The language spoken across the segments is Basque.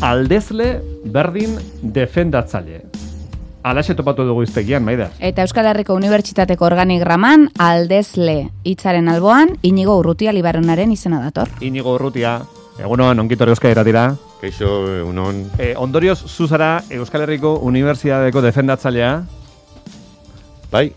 aldezle berdin defendatzaile. Alaxe topatu dugu iztegian, Maider. Eta Euskal Herriko Unibertsitateko organigraman aldezle hitzaren alboan Inigo Urrutia Libaronaren izena dator. Inigo Urrutia, egunon, ongitor Euskal Herratira. Kaixo, egunon. Ondorioz, zuzara Euskal Herriko Unibertsitateko defendatzailea? Bai.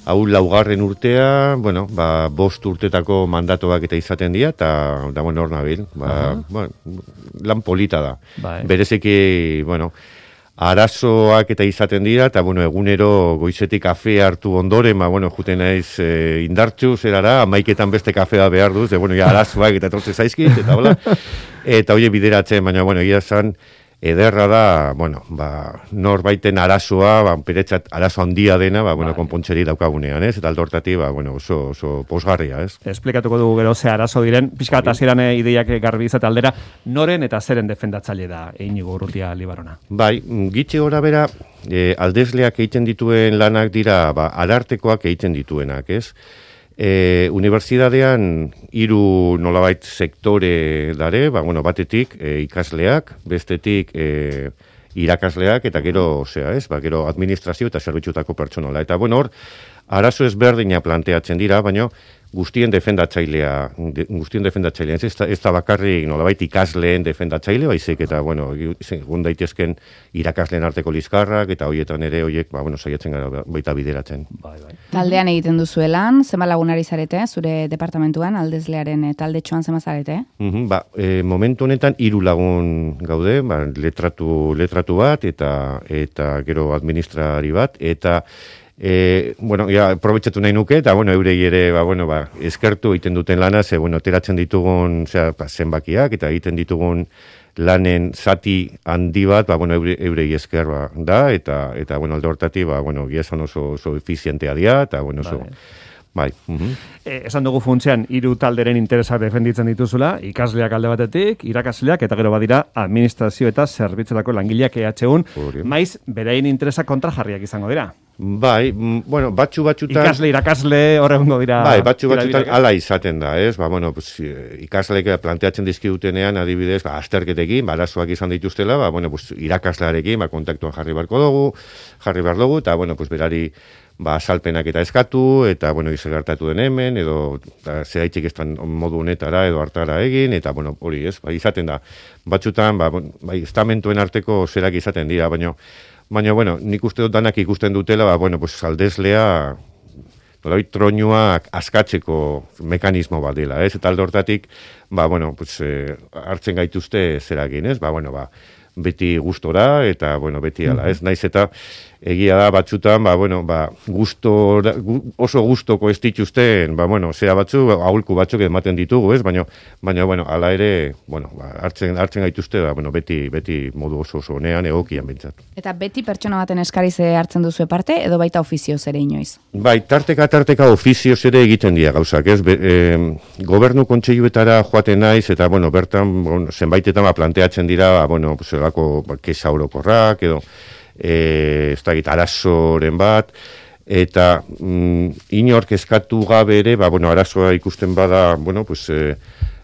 Hau laugarren urtea, bueno, 5 urtetako mandatoak eta izaten dira, eta bueno, hor nabil. Lan polita da. Bai. Berezeki, bueno, arazoak eta izaten dira, eta bueno, egunero goizetik kafe hartu ondoren, bueno, juten naiz indartxu, zerara, 11etan beste kafea behar duz, bueno, ja arazoak eta tortze zaizkit, eta hola, eta hori bideratzen, baina, bueno, egia zan, ederra da, bueno, norbaiten arazoa, peretzat arazo handia dena, bueno, konpontzeri daukagunean, ez? Eta aldortati, bueno, oso posgarria, ez? Esplikatuko dugu gero ze arazo diren, pixka eta hasieran ideiak garbi izate aldera, noren eta zeren defendatzaile da Inigo Urrutia Libarona? Bai, gitxe gora bera, aldezleak egiten dituen lanak dira, arartekoak egiten dituenak, ez? Unibertsitatean 3 nolabait sektore dare, bueno, batetik ikasleak, bestetik irakasleak, eta gero, gero administrazio eta zerbitzutako pertsonala. Eta bueno, hor, arazo ezberdina planteatzen dira, baina guztien defendatzailea, ez da bakarrik nolabait ikasleen defendatzaile, baizik, eta bueno, egun daitezken irakasleen arteko lizkarrak, eta horietan ere horiek, bueno, saiatzen gara baita bideratzen. Bai. Taldean egiten duzuelan, zema lagunari zarete, zure departamentuan, aldezlearen taldetxoan zema zarete? Momentu honetan 3 lagun gaude, letratu bat, eta gero administrari bat, eta bueno, ja, aprobetxatu nahi nuke, eta, bueno, eurei ere, eskertu egiten duten lana, teratzen ditugun, zenbakiak, eta egiten ditugun lanen zati handi bat, eurei esker da, eta, bueno, alde hortati, giazan oso efizientea dira, eta, bueno, oso... Bai. Esan dugu funtzean 3 talderen interesak defenditzen dituzula, ikasleak alde batetik, irakasleak, eta gero badira administrazio eta zerbitzutako langileak EHUn, maiz berein interesak kontrajarriak izango dira. Bai, bueno, batzutan... Irakasle, horregungo dira... Bai, batzutan ala izaten da, ez? Bueno, ikasleek planteatzen dizkidutenean, adibidez, azterketekin, arazoak izan dituztela, irakaslearekin, kontaktuan jarri behar dugu, eta, bueno, berari salpenak eta eskatu, eta, bueno, izagartatu den hemen, edo zeraitzik estan modu honetara, edo hartara egin, eta, bueno, hori, ez? Izaten da, batzutan, estamentuen arteko zerak izaten dira, baina, bueno, nik uste dut danak ikusten dutela, aldezlea, nolabait troinuak askatzeko mekanismo bat dela, ez? Eta alde hortatik, hartzen gaituzte zeragin, ez? Beti gustora, eta, beti ala, ez? Naiz eta egia da batzutan, oso gustoko ez dituzten, zera batzu, aholku batzuk ematen ditugu, ez? Baina, ala ere, hartzen gaituzte, beti modu oso honean egokian bintzat. Eta beti pertsona baten eskariz hartzen duzu parte, edo baita ofizioz ere inoiz? Bai, tarteka ofizioz ere egiten dira gauzak, ez? Gobernu kontseiluetara joaten naiz, eta, bertan, zenbaitetan planteatzen dira, zelako kesa orokorrak, edo, ez da arazoren bat, eta inork eskatu gabe ere, arazoa ikusten bada,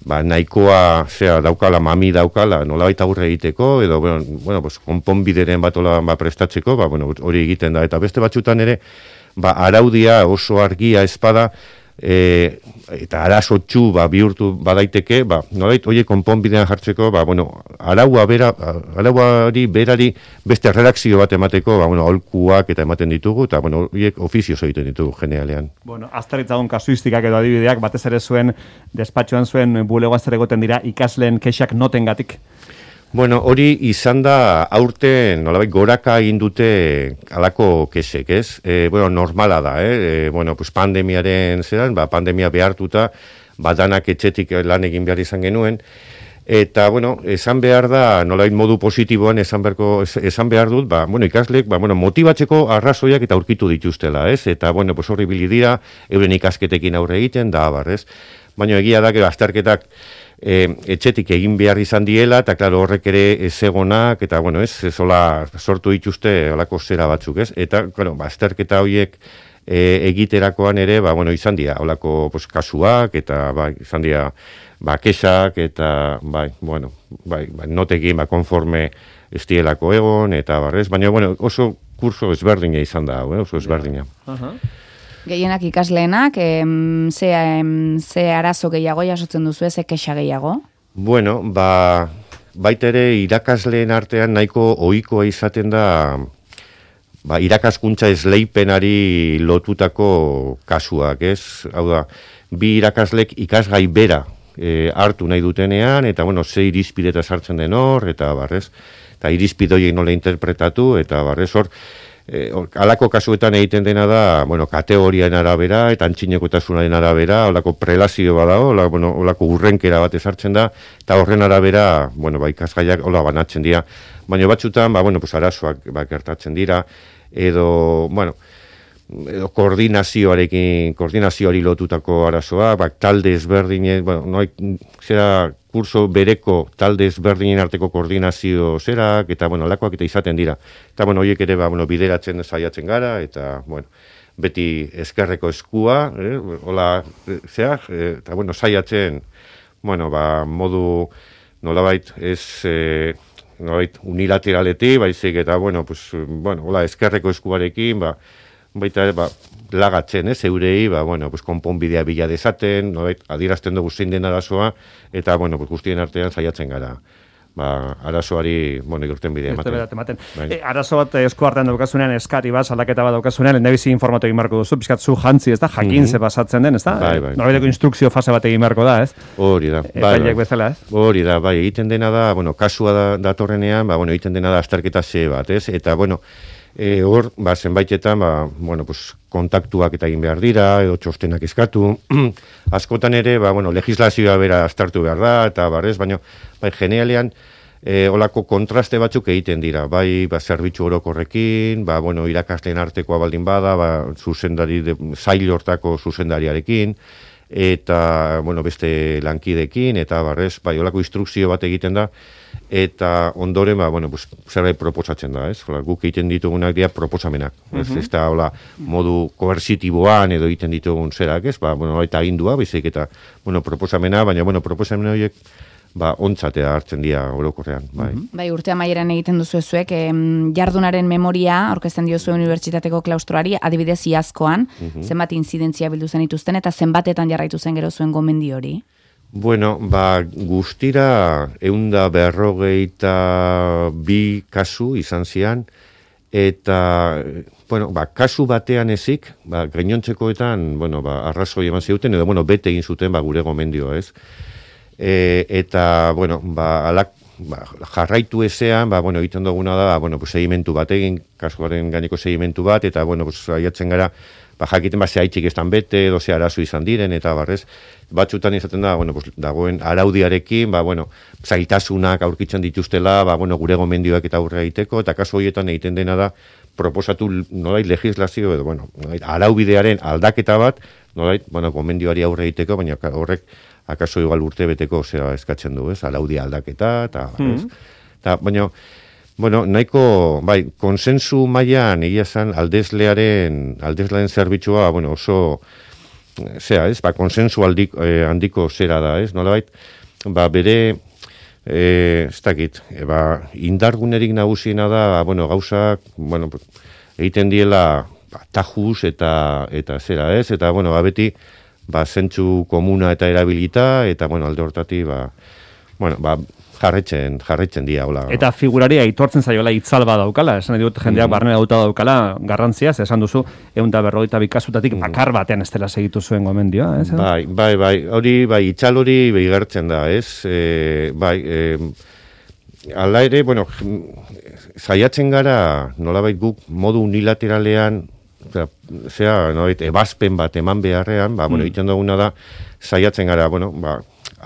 nahikoa, daukala, mami daukala, nolabait aurre egiteko, edo, konponbideren bat prestatzeko, hori egiten da, eta beste batzutan ere, araudia oso argia espada, eta arazotxu bihurtu badaiteke, nolait horiek konponbidean jartzeko, arauari berari beste redakzio bat emateko, aholkuak eta ematen ditugu, eta horiek ofizioz egiten ditugu generalean. Azterritzagun kasuistikak edo adibideak, batez ere zuen despatxoan zuen bulegoan zer egoten dira ikasleen kexak notengatik? Hori izan da aurten nolabait goraka egin dute alako kesek, ez? Normala da, pandemiaren zeran, pandemia behartuta, danak etxetik lan egin behar izan genuen, eta, esan behar da, nolabait modu positiboan esan behar dut, ikasleek, motibatzeko arrazoiak eta aurkitu dituztela, ez? Eta, horri bilidira, euren ikasketekin aurre egiten, da, ez? Baina egia da, azterketak etxetik egin behar izan diela, eta klaro horrek ere ezegonak, eta hola sortu dituzte holako zera batzuk, ez? Eta, azterketa horiek egiterakoan ere, izan dira holako kasuak, eta izan dira kesak eta, notekin, konforme estielako egon, eta barrez, baina, oso kurso ezberdina izan da, oso ezberdina. Gehienak ikasleenak, ze arazo gehiago jasotzen duzu, ze kexa gehiago? Bueno, baita ere irakasleen artean nahiko ohikoa izaten da irakaskuntza esleipenari lotutako kasuak, ez? Hau da, bi irakaslek ikasgai bera hartu nahi dutenean, eta, ze irizpideta sartzen den hor, eta barrez, eta irizpide horiek nola interpretatu, eta barrez hor, alako kasuetan egiten dena da, kategoriaren arabera, eta antxinekotasunaren arabera, olako prelazio bada, olako urrenkera bat ezartzen da, eta horren arabera, ikasgaiak hola banatzen dira. Baina batzutan, arazoak gertatzen dira, edo koordinazioari lotutako arazoa, talde ezberdinen, kurso bereko talde ezberdinen arteko koordinazio zerak, eta, alakoak eta izaten dira. Eta, horiek ere, bideratzen saiatzen gara, eta, beti eskerreko eskua, eta, saiatzen, modu, nolabait, nolabait, unilateraleti, baizik, eta, eskerreko eskuarekin, baita ere, lagatzen, eurei, konponbidea bila dezaten, adierazten dugu zein den arazoa, eta, guztien artean saiatzen gara. Arazoari, irten bidea ematen. Arazo bat esku artean daukazunean, eskari bat, saldaketa bat daukazunean, lehendabizi informatu egin beharko duzu, pizkat zu jantzi, ez da, jakin ze pasatzen den, ez da? Norabaiteko instrukzio fase bat egin beharko da, ez? Hori da. Epaileak bezala, ez? Hori da, egiten dena da, kasua datorrenean, egiten dena da azterketa ze bat, ez? Eta, hor, zenbaitetan, kontaktuak eta egin behar dira, edo txostenak eskatu. Askotan ere, legislazioa bera aztertu behar da, eta barrez, baina, generalean, olako kontraste batzuk egiten dira, zerbitzu orokorrekin, irakasleen artekoa baldin bada, zail hortako zuzendariarekin, eta, beste lankidekin, eta barrez, olako instrukzio bat egiten da, eta ondoren, zerbait proposatzen da, ez? Guk egiten ditugunak dira proposamenak, ez da, modu koersitiboan edo egiten ditugun zerak, ez? Eta agindua, bezik eta, proposamena, baina, proposamena horiek, ontzatea hartzen dira orokorrean, urte amaieran egiten duzu ezuek, jardunaren memoria, aurkezten diozu unibertsitateko klaustroari, adibidez iazkoan, zenbat inzidentzia bildu zen ituzten, eta zenbatetan jarraitu zen gero zuen gomendi hori? Bueno, guztira 152 kasu izan zian, eta, kasu batean ezik, gainontzekoetan, arrazoi eman zuten, edo, bete egin zuten, gure gomendioa, ez? Eta, jarraitu ezean, egiten duguna da, segimentu bat egin, kasuaren gaineko segimentu bat, eta, aiatzen gara, jakiten ze haitxik estan bete, edo ze arazo izan diren, eta barrez, batzutan izaten da, dagoen araudiarekin, zailtasunak aurkitzen dituztela, gure gomendioak eta aurre egiteko, eta kasu horietan egiten dena da, proposatu nolait legislazio, edo, araubidearen aldaketa bat, nolait, gomendioari aurre egiteko, baina horrek, akaso igual urte beteko zera eskatzen du, ez, araudia aldaketa, eta, baina, nahiko, konsensu mailan egia zan aldezlearen zerbitzua, oso, ez, konsensu handiko zera da, ez, nolabait, bere, ez dakit, indargunerik nagusiena da, gauzak, egiten diela, tajuz eta zera, ez, eta, beti, zentzu komuna eta erabilita, eta, alde hortati, jarretzen dira, hola. Eta figurari aitortzen zaiola itzal bat daukala, esan dut jendeak barnera dauta daukala garrantziaz, esan duzu, 152 kasutatik bakar batean ez dela segitu zuen gomendioa, ez? Bai, hori, itzal hori behigertzen da, ez? Ala ere, saiatzen gara, nolabait guk modu unilateralean, ebazpen bat eman beharrean, egiten duguna da, saiatzen gara,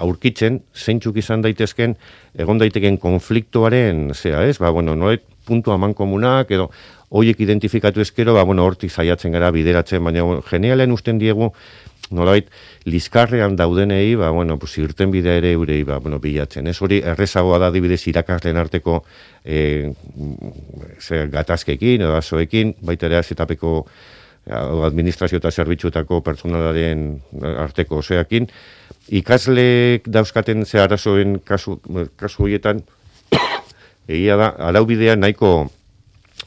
aurkitzen, zeintzuk izan daitezken, egon daiteken konfliktoaren, nolait puntu aman komunak, edo horiek identifikatu ezkero, hortik saiatzen gara bideratzen, baina generalean usten diegu, nolait, liskarrean daudenei, irten bidea ere eurei, bilatzen. Ez hori errezagoa da dibidez irakasleen arteko gatazkekin, edo azoekin, baita ere azetapeko administrazio eta zerbitzuetako pertsonalaren arteko oseakin, ikasleek dauzkaten ze arazoen kasu horietan, egia da, araubidea nahiko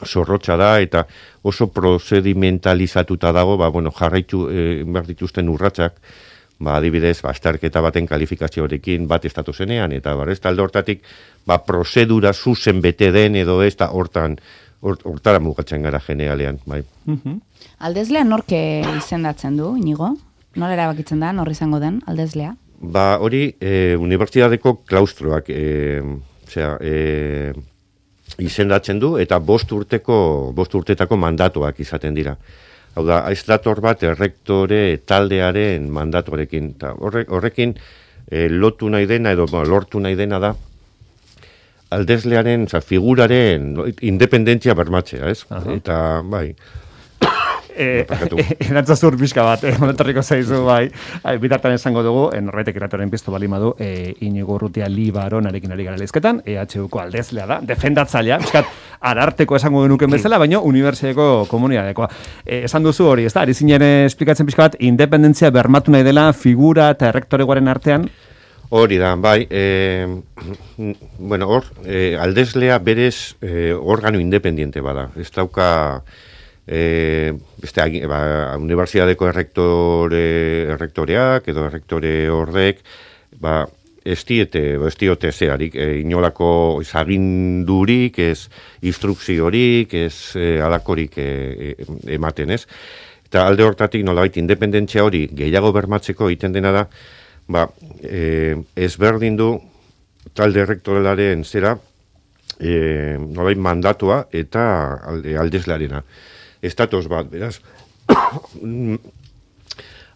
zorrotza da eta oso prozedimentalizatuta dago, jarraitu behar dituzten urratsak, adibidez, azterketa baten kalifikazioarekin bat estatu zenean, eta talde hortatik, prozedura zuzen bete den edo ez da hortara mugatzen gara generalean, bai. Aldezlea norke izendatzen du, Inigo? Nola erabakitzen da, nor izango den, aldezlea? Hori, unibertsitateko klaustroak, izendatzen du, eta 5 urtetako mandatuak izaten dira. Hau da, ez dator bat errektore taldearen mandatuarekin. Horrekin lotu nahi dena, edo lortu nahi dena da, aldezlearen, figuraren independentzia bermatzea, ez? Eta, bai... Erantzazur pixka bat, monetarriko zaizu, bai. Bitartan esango dugu, norbaitek iratoren piztu balimadu, Inigo Urrutia Libaronarekin ari gara lehizketan, EHUko aldezlea da, defendatzailea, piskat, ararteko esango genuken bezala, baina unibertsitateko komunitatekoa. Esan duzu hori, ez da, ari zinen esplikatzen pixka bat, independentzia bermatu nahi dela figura eta errektoregoaren artean? Hori da, bai, aldezlea berez organo independiente bada, ez dauka... unibertsitateko errektoreak edo errektore horrek ez diote zeharik, inolako agindurik, ez instrukziorik, ez alakorik ematen, ez? Eta alde hortatik nolabait independentzia hori gehiago bermatzeko egiten dena da, ezberdin du talde errektorelaren zera nolabait mandatua eta aldezlearena. Estatoz bat, beraz,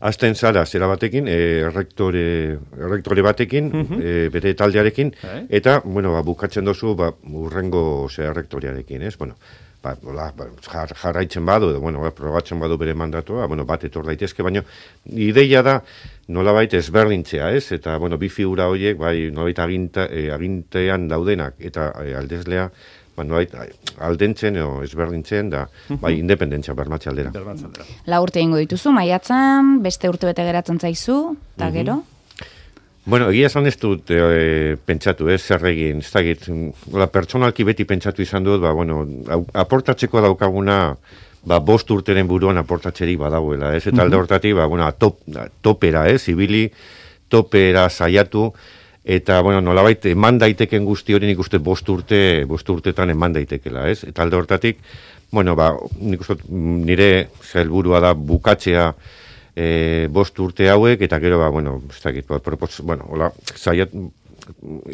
azten zara zera batekin, errektore batekin, bere taldearekin, eta, bukatzen dozu, urrengo errektorearekin, ez? Jarraitzen badu, probatzen badu bere mandatua, bat etor daitezke, baina ideia da nolabait ezberdintzea, ez? Eta, bi figura horiek, nolabait agintean daudenak, eta aldezlea, aldentzen o ezberdintzen da, independentzia bermatze aldera. 4 urte ingo dituzu, maiatzan, beste urte bete geratzen zaizu, eta gero? Egia esan ez dut pentsatu, zer egin, ez dakit, pertsonalki beti pentsatu izan dut, aportatzeko daukaguna, 5 urteren buruan aportatzerik badauela, ez? Eta alde hortatik, topera, ibili, topera saiatu, eta, nolabait, eman daiteken guzti hori nik uste 5 urtetan eman daitekela, ez? Eta alde hortatik, nik uste nire helburua da bukatzea 5 urte hauek, eta gero, ez dakit,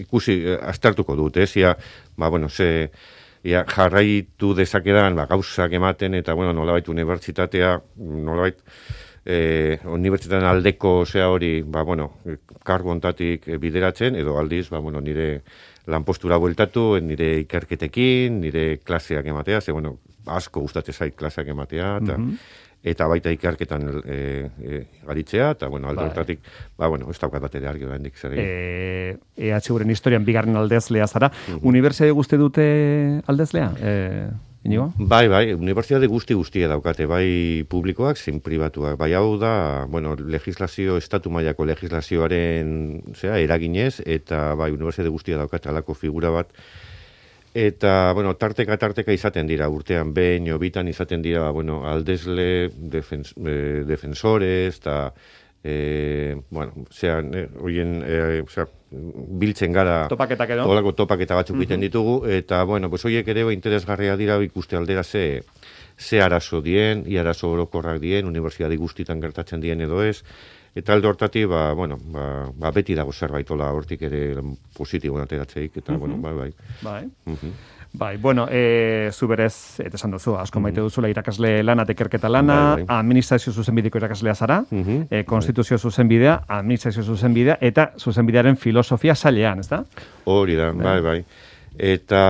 ikusi, aztertuko dut, ez? Jarraitu dezakedan, gauzak ematen, eta, nolabait, unibertsitatea, nolabait, unibertsitatean aldeko hori, kargu ontatik bideratzen, edo aldiz, nire lanpostura bueltatu, nire ikerketekin, nire klaseak ematea, asko gustatzen zait klaseak ematea, eta baita ikerketan garitzea, eta, alde hortatik, ez daukat batere argi oraindik zer egin. EHUren historian bigarren aldezlea zara, unibertsitate guzti dute aldezlea? Inigo? Bai, unibertsitate guztia daukate, bai publikoak, zein pribatuak. Bai hau da, estatu mailako legislazioaren eraginez, eta bai unibertsitate guztia daukate alako figura bat. Eta, tarteka izaten dira, urtean behin, bitan izaten dira, aldezle, defensores, eta, biltzen gara topaketak edo? Olako topaketa batzuk egiten ditugu, eta, horiek ere interesgarria dira ikuste aldera ze arazo dien, arazo orokorrak dien, unibertsitate guztietan gertatzen dien edo ez, eta alde hortatik, beti dago zerbait hortik ere positiboan ateratzeik, eta, Bai, zu berez, eta esan duzu, asko maite duzula irakasle lana, tekerketa lana, administrazio zuzenbideko irakaslea zara, konstituzio zuzenbidea, administrazio zuzenbidea, eta zuzenbidearen filosofia sailean, ez da? Hori da, bai. Eta,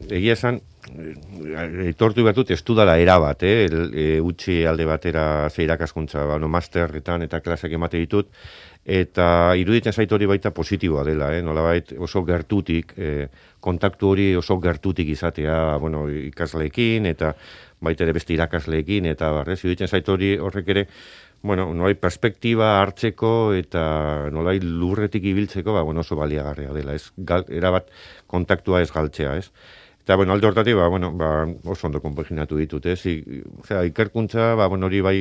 egia esan, Aitortu bertut, ez dudala erabat, utzi alde batera ze irakaskuntza, masterretan eta klaseak emate ditut, eta iruditzen zait hori baita positiboa dela, nolabait oso gertutik, kontaktu hori oso gertutik izatea, ikasleekin, eta baita ere beste irakasleekin, eta iruditzen zait hori horrek ere, nolai perspektiba hartzeko eta nolai lurretik ibiltzeko, oso baliagarria dela, erabat kontaktua ez galtzea, ez? Eta, alde hortatik, oso ondo konpaginatu ditut, ez? Ikerkuntza, hori bai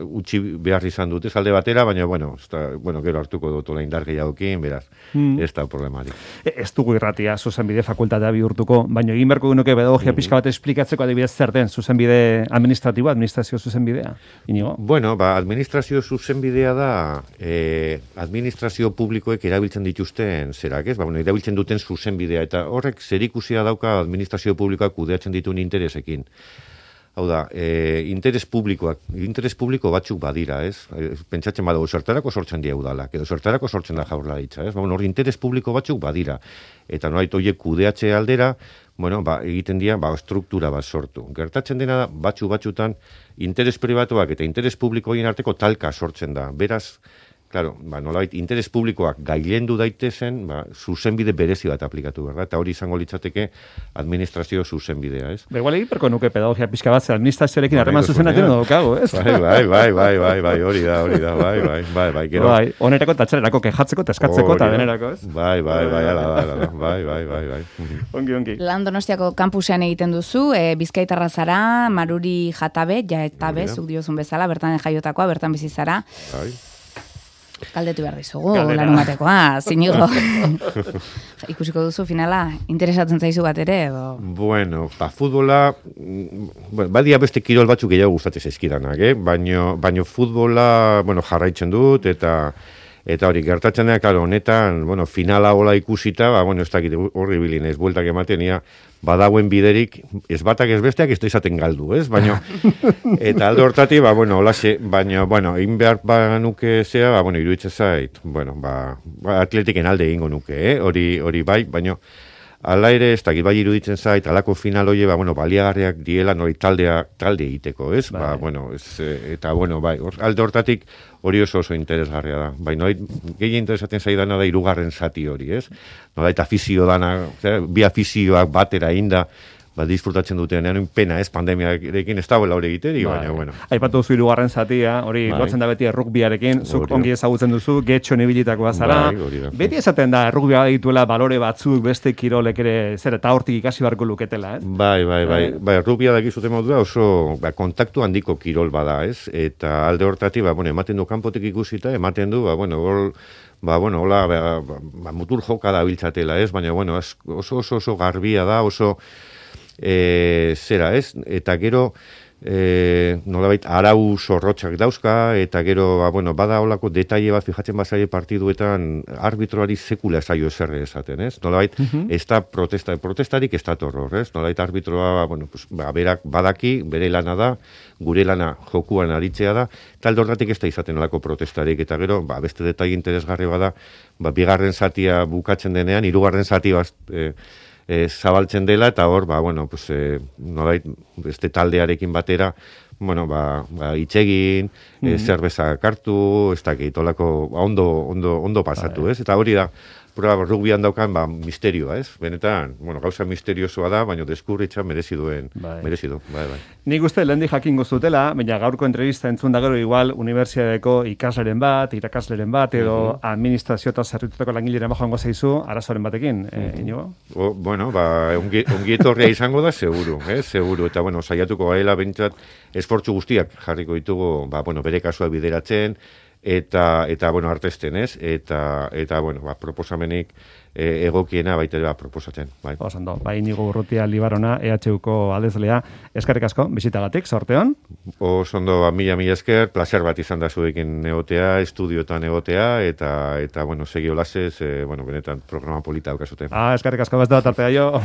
utzi behar izan dut, ez alde batera, baina, gero hartuko dut ola indar gehiagokin, beraz, ez da problemarik. Ez dugu irratia zuzenbide fakultatea bihurtuko, baina egin beharko genuke pedagogia pixka bat esplikatzeko adibidez zer den zuzenbide administratiboa, administrazio zuzenbidea, Inigo? Administrazio zuzenbidea da administrazio publikoek erabiltzen dituzten zerak, ez? Erabiltzen duten zuzenbidea, eta horrek zerikusia dauka administrazio publikoak kudeatzen dituen interesekin. Hau da, interes publiko batzuk badira, ez? Pentsatzen badago, zertarako sortzen dira udalak, edo zertarako sortzen da Jaurlaritza, ez? Hor interes publiko batzuk badira. Eta noait horiek kudeatze aldera, egiten dira, struktura bat sortu. Gertatzen dena da, batzutan, interes pribatuak eta interes publikoen arteko talka sortzen da. Beraz, claro, nolabait interes publikoak gailendu daitezen, zuzenbide berezi bat aplikatu behar da, eta hori izango litzateke administrazio zuzenbidea, ez? Igual egin perko nuke pedagogia pixka bat, administrazioarekin harreman zuzenatzen daukago, ez? Bai, hori da, bai, gero. Bai, onerako eta txarerako kejatzeko, teskatzeko eta denerako, ez? Bai, bai. Ongi. Lan Donostiako kampusean egiten duzu, Bizkaitarra zara, Maruri Jatabe, jaetabe, zuk diozun bezala, bertan jaiotakoa, bertan bizi zara. Bai. Galdetu behar dizugu, larun batekoa, Zinigo. Ikusiko duzu finala, interesatzen zaizu bat ere, edo? Futbola, badia beste kirol batzuk gehiago gustatzen zaizkidanak, baina futbola, jarraitzen dut, eta hori, gertatzen da, honetan, finala hola ikusita, ez dakit horri bilinez, bueltak ematen, badauen biderik, ez batak ez besteak, ez da izaten galdu, ez? Baina, eta alde hortati, holaxe, baina, egin behar nuke zea, iruditzen zait, atletiken alde egingo nuke, hori bai, baina, ala ere, ez dakit bai iruditzen zait, alako final hori, baliagarriak diela, talde egiteko, ez? Eta, bai, alde hortatik, hori oso interesgarria da. Baina, gehien interesatzen zaidana da hirugarren zati hori, ez? Eta afizio dana, bi afizioak batera inda, disfrutatzen dutenean, pena ez, pandemiarekin ez dagoela hori egiteri, baina, Aipatu duzu hirugarren zatia, hori lotzen da beti errugbiarekin, zuk ongi ezagutzen duzu, getxon ibilitakoa zara. Beti esaten da, errugbia dituela balore batzuk, beste kirolek ere, eta hortik ikasi barko luketela, ez? Bai, errugbia dakizuten modua oso kontaktu handiko kirol bada, ez? Eta alde hortatik, ematen du kanpotik ikusita, ematen du, hola, mutur joka da biltzatela, ez? Baina, oso garbia da, oso zera, ez? Eta gero, nolabait, arau zorrotxak dauzka, eta gero, bada holako detaile bat fijatzen bazaile partiduetan arbitroari sekula zaio eserre esaten, ez? Nolabait, ez da protestarik ez da torror, ez? Nolabait, arbitroa, berak badaki, bere lana da, gure lana jokuan aritzea da, talde horretik ez da izaten nolako protestarik, eta gero, beste detaile interesgarri bada, bigarren zatia bukatzen denean, hirugarren zati zabaltzen dela, eta hor, nolait, beste taldearekin batera, itxegin, zerbeza kartu, ez dakit, ondo pasatu, ez? Eta hori da, rugbian daukan, misterioa, ez? Benetan, gauza misteriosoa da, baina deskurritza merezi du, bai. Nik uste, lehendi jakingo zutela, baina gaurko entrevista entzun da gero igual, unibertsitateko ikasleren bat, irakasleren bat, edo administrazio eta zerritutako langileren joango zaizu, arazoren batekin, Inigo? Ongi etorria izango da, seguru, eta, saiatuko gaela, bentsat, esfortzu guztiak jarriko ditugu, bere kasua bideratzen, eta artesten, ez? Eta proposamenik egokiena baita proposatzen. Osando, Inigo Urrutia Libarona, EHUko aldezlea, eskerrik asko, bizitagatik, sorteon? Osondo, mila esker, placer bat izan da zuekin egotea, estudiotan egotea, eta segi olasez, benetan programa polita daukazute. Eskerrik asko, bez da, tartea jo.